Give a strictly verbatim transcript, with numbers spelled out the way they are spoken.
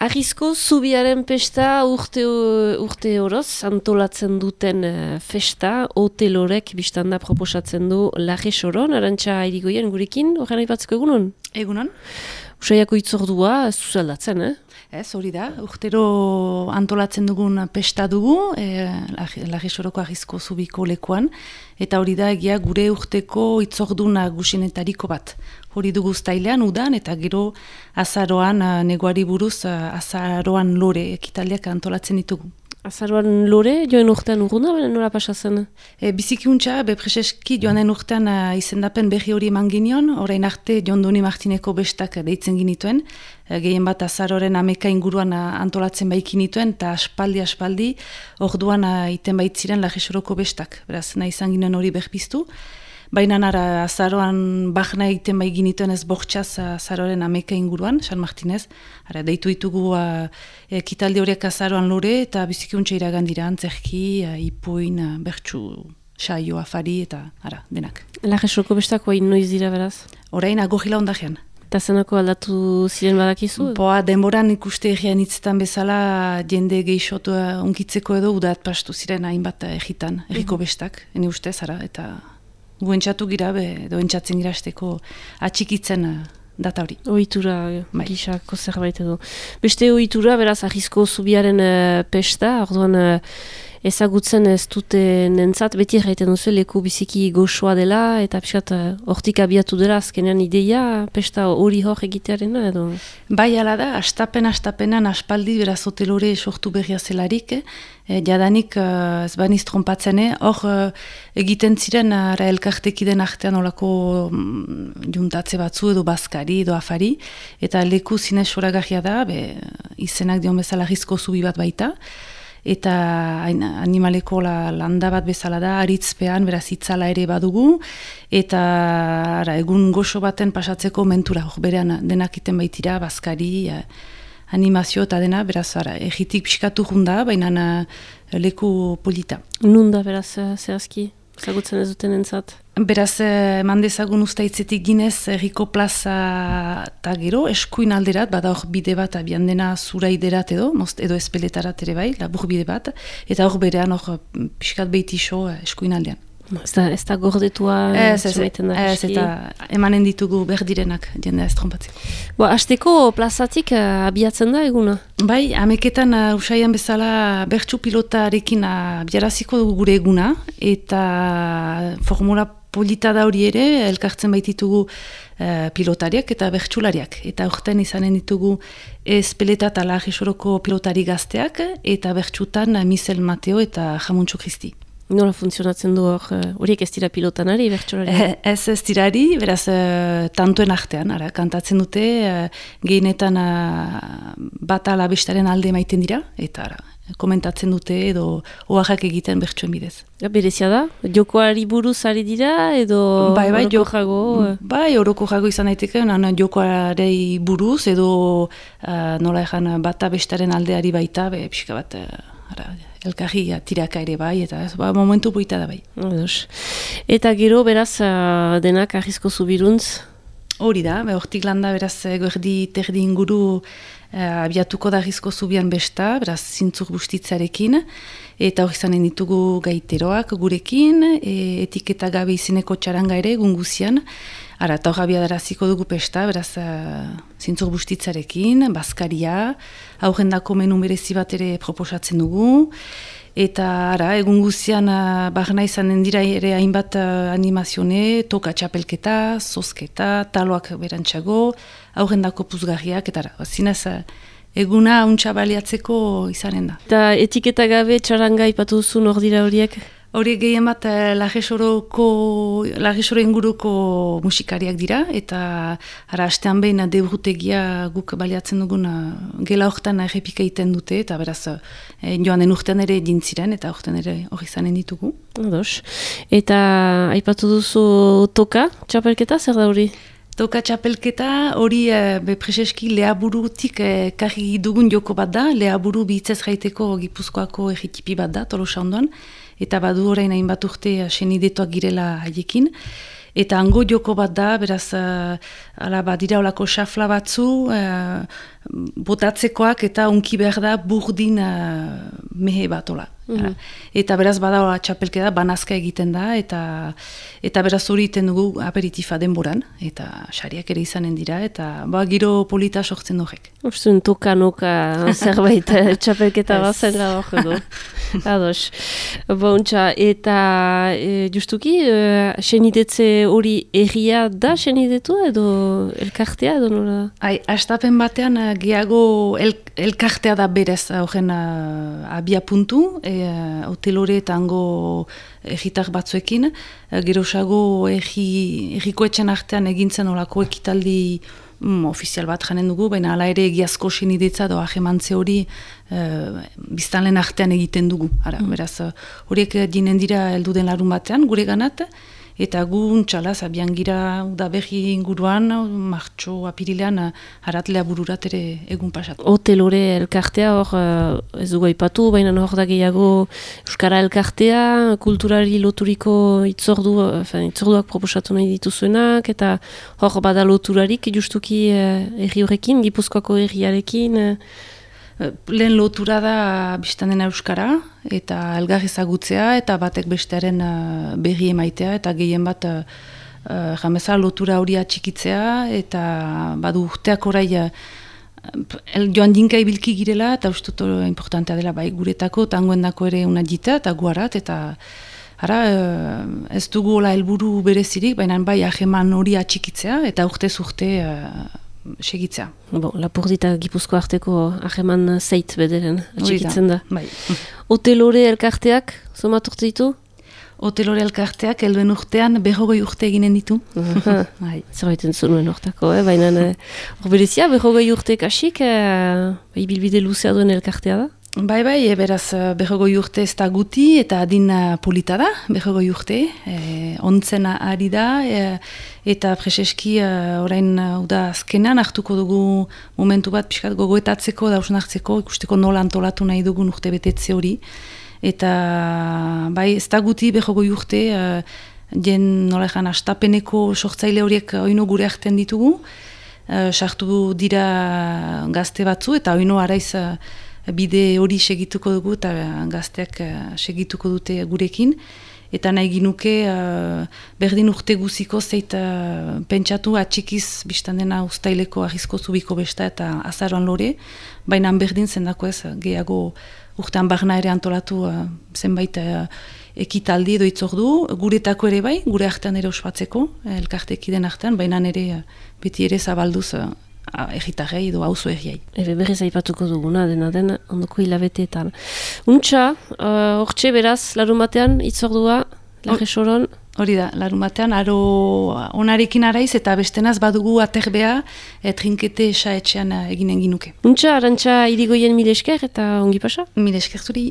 Arrizko zubiaren pesta urte, urte oroz antolatzen duten uh, festa, hotelorek biztanda proposatzen du Larre Soron, Arantxa Irigoyen gurekin, horren aipatzeko egunon? Egunon. Usaiako itzordua ez zuzeldatzen, eh? Ez, hori da, urtero antolatzen dugun pesta dugu, e, Larre Soroko Arrizko zubiko lekuan, eta hori da egia gure urteko itzordu nagusinetariko bat. Hori dugu uztailean udan, eta gero azaroan neguari buruz azaroan lore ekitaldiak antolatzen ditugu. Azaroan lore, joan urtean urguna, baina nola pasatzen? E, bizikiuntza, bepreseski joanen urtean uh, izendapen berri hori eman ginion, orain arte Jon Doni Martineko bestak deitzen ginituen, e, gehien bat azaroren ameka inguruan uh, antolatzen baikin nituen, eta aspaldi-aspaldi orduan uh, iten baitziren Larre Soroko bestak, beraz nahi izan ginen hori berpiztu. Baina nara azaroan bahna egiten bai ginituen ez bortxaz azaroren ameka inguruan, San Martinez. Ara, deitu ditugu uh, ekitaldi horiek azaroan lore eta bizikiuntza iragan dira, antzerki, uh, ipuin, uh, bertsu, saio, afari eta ara, denak. Larre Soroko bestak hain noiz dira beraz? Orain agorila ondajean. Eta zenako aldatu ziren badakizu? Boa, denboran ikuste egian hitzetan bezala jende geixotu uh, unkitzeko edo udat pastu ziren hainbat egitan, erriko bestak, ene ustez, ara, eta... Guentzatu gira, be, edo entzatzen gira esteko atxikitzen uh, data hori. Ohitura, bai. Gisako zerbait edo. Beste ohitura, beraz, Arrizko zubiaren uh, pesta, orduan uh, ezagutzen ez dute nentzat, beti erraiten duzu leku biziki goxoa dela, eta pixkat hortik uh, abiatu dela azkenean ideia, pesta hori hor egitearena edo? Bai, ala da, astapen-astapenan aspaldi beraz hotelore sortu berria zelarik, eh, jadanik uh, ez baniz trompatzen, hor uh, egiten ziren uh, elkartekiden artean olako um, juntatze batzu edo bazkari edo afari, eta leku zinez soragarria da, be, izenak dion bezala Arrizko zubi bat baita, eta animaleko la, landa bat bezala da, aritzpean, beraz itzala ere badugu, eta ara, egun goxo baten pasatzeko mentura, hor berean denak iten baitira, bazkari, eh, animazio eta dena, beraz, ara, egitik pixkatu junda, baina leku polita. Nunda, beraz, zehazki, zagutzen ez duten entzat? Beraz, eman dezagun ustaitzetik ginez, erriko plaza eta gero, eskuin alderat, bada hor bide bat, abian dena zuraiderat edo, most, edo espeletarat ere bai, labur bide bat, eta hor berean hor pixkat behitixo eskuin aldean. Ez da, ez da gordetua ez, ez, ez, eta emanen ditugu berdirenak jendea ez trompatzeko. Bo, hasteko plazatik uh, abiatzen da eguna? Bai, ameketan uh, usaian bezala bertsu pilotarekin abiaraziko dugu gure eguna, eta formula polita da hori ere, elkartzen baititugu uh, pilotariak eta bertsulariak. Eta horten izanen ditugu Espeleta eta Larre Soroko pilotari gazteak, eta bertsutan uh, Misel Mateo eta Jamuntxo Kristi. Nola funtzionatzen du hor, horiek ez dira pilotanari, bertsolari? Ez ez dirari, beraz, uh, tantuen artean, ara, kantatzen dute, uh, gehienetan uh, bat ala bestaren alde maiten dira, eta ara, komentatzen dute edo oaxak egiten bertsuen bidez. Ja, berezia da? Jokoari buruz ari dira edo bai, bai, oroko jago? Bai, oroko jago izan daiteke, jokoarei buruz edo uh, nola ezan bata bestaren aldeari baita, be, pixka bat, uh, ara, elkarri tiraka ere bai, eta ez, ba, momentu poita da bai. Ados. Eta gero, beraz, uh, denak Arrizko zubiruntz? Hori da, be, hortik landa, beraz, gerdi terdi inguru uh, abiatuko da Arrizko zubian besta, beraz, zintzur bustitzarekin, eta hori zanen ditugu gaiteroak gurekin, e, etiketa gabe izeneko txaranga ere, gunguzian, ara, eta hori abiadaraziko dugu pesta, beraz, uh, zintzur bustitzarekin, bazkaria, aurrendako menu merezi bat ere proposatzen dugu, eta ara, egun guzian uh, barna izanen dira ere hainbat uh, animazione, toka txapelketa, zozketa, taloak berantxago, aurrendako puzgarriak, eta ara, zinez, uh, eguna untxa baliatzeko izanen da. Eta etiketa gabe txaranga ipatu duzun hor dira horiek? Horiek gehien bat Larre Soroko, Larre Soro inguruko musikariak dira, eta ara astean behin debrutegia guk baliatzen dugun gela horretan errepika egiten dute, eta beraz joan den urtean ere dintziren, eta urtean ere hori izanen ditugu. Ados. Eta aipatu duzu toka, txapelketa, zer da hori? Toka txapelketa hori e, bepreseski lehaburutik e, karri dugun joko bat da, lehaburu bihitzez jaiteko Gipuzkoako egitipi bat da, Tolosa ondoan, eta badu orain hainbat urte senidetoak girela haiekin, eta hango joko bat da, beraz, uh, ala badira olako xafla batzu, uh, botatzekoak eta unki behar da burdin uh, mehe bat, ola. Mm-hmm. Eta beraz bada txapelketa banazka egiten da, eta eta beraz hori iten dugu aperitifa denboran, eta sariak ere izanen dira, eta ba, giro polita sortzen horrek. Uztun toka-noka zerbait txapelketa bazen gaur edo. Ados. Bontxa, eta e, justuki, e, senidetze hori erria da senidetu edo elkartea edo nola? Ai, astapen batean gehiago el, elkartea da berez horren abia puntu, e, hotelore eta hango egitar batzuekin, e, gerosago erriko etxen artean egintzen olako ekitaldi mm, ofizial bat janen dugu, baina hala ere egiazko senidetza doa jemantze hori e, biztanlen artean egiten dugu. Ara, mm. Beraz, horiek dinen dira heldu den larun batean, gure ganat, eta gu untxalaz, abian gira udaberri inguruan, martxo apirilean, haratlea bururat ere egun pasatu. Hotelore elkartea hor, ez dugu aipatu, baina hor da gehiago Euskara elkartea, kulturari loturiko itzordu, fin, itzorduak proposatu nahi dituzuenak, eta hor bada loturarik justuki erri horrekin, Gipuzkoako erriarekin. Lehen lotura da biztan dena Euskara, eta elgar ezagutzea, eta batek bestearen uh, berri emaitea, eta gehien bat uh, uh, jameza lotura hori atxikitzea, eta badu urteak orai uh, joan dinka ibilki girela, eta ustut importantea dela bai guretako, tangoendako ere una jita, eta guarat, eta ara, uh, ez dugu hola helburu berezirik, baina bai aheman hori atxikitzea, eta urtez urte uh, segitzea. Bon, Lapurdita Gipuzko arteko aheman zeit bederen atxikitzen da. Bai. Hotelore elkarteak, somaturte ditu? Hotelore elkarteak helduen urtean berrogoi urte eginen ditu. Bai. Zerbaiten zunuen hortako, eh? Baina hor berezia, berrogoi urte kasik, eh, ibilbide luzea duen elkartea da? Bai, bai, e, beraz, berrogoi urte ez da guti, eta adin polita da, berrogoi urte, e, ontzena ari da, e, eta preseski e, orain uda azkenan hartuko dugu momentu bat pixkat gogoetatzeko, dausnartzeko, ikusteko nola antolatu nahi dugun urte betetze hori, eta bai, ez da guti berrogoi urte, e, jen nola egan astapeneko sortzaile horiek oino gure artean ditugu, e, sartu dira gazte batzu, eta oino araiz bide hori segituko dugu eta gazteak segituko dute gurekin. Eta nahi ginuke uh, berdin urte guziko zeit uh, pentsatu atxikiz biztan dena ustaileko ahizko zubiko besta eta azaroan lore, baina berdin zendako ez gehiago urtean barna ere antolatu uh, zenbait uh, ekitaldi edo itzordu, guretako ere bai, gure artean ere ospatzeko, elkartekiden artean, baina ere uh, beti ere zabalduz uh, egitarrei edo hauzo erriai. Ebe berriz aipatuko duguna, dena den, ondoko hilabeteetan. Untxa, hortxe uh, beraz, larun batean, itzordua, lage soron? Hori da, larun batean, aro onarekin araiz eta bestenaz badugu aterbea e, trinkete esa etxean eginen ginuke. Untxa, Arantxa Irigoyen mile esker eta ongi pasa? Mile esker zuri.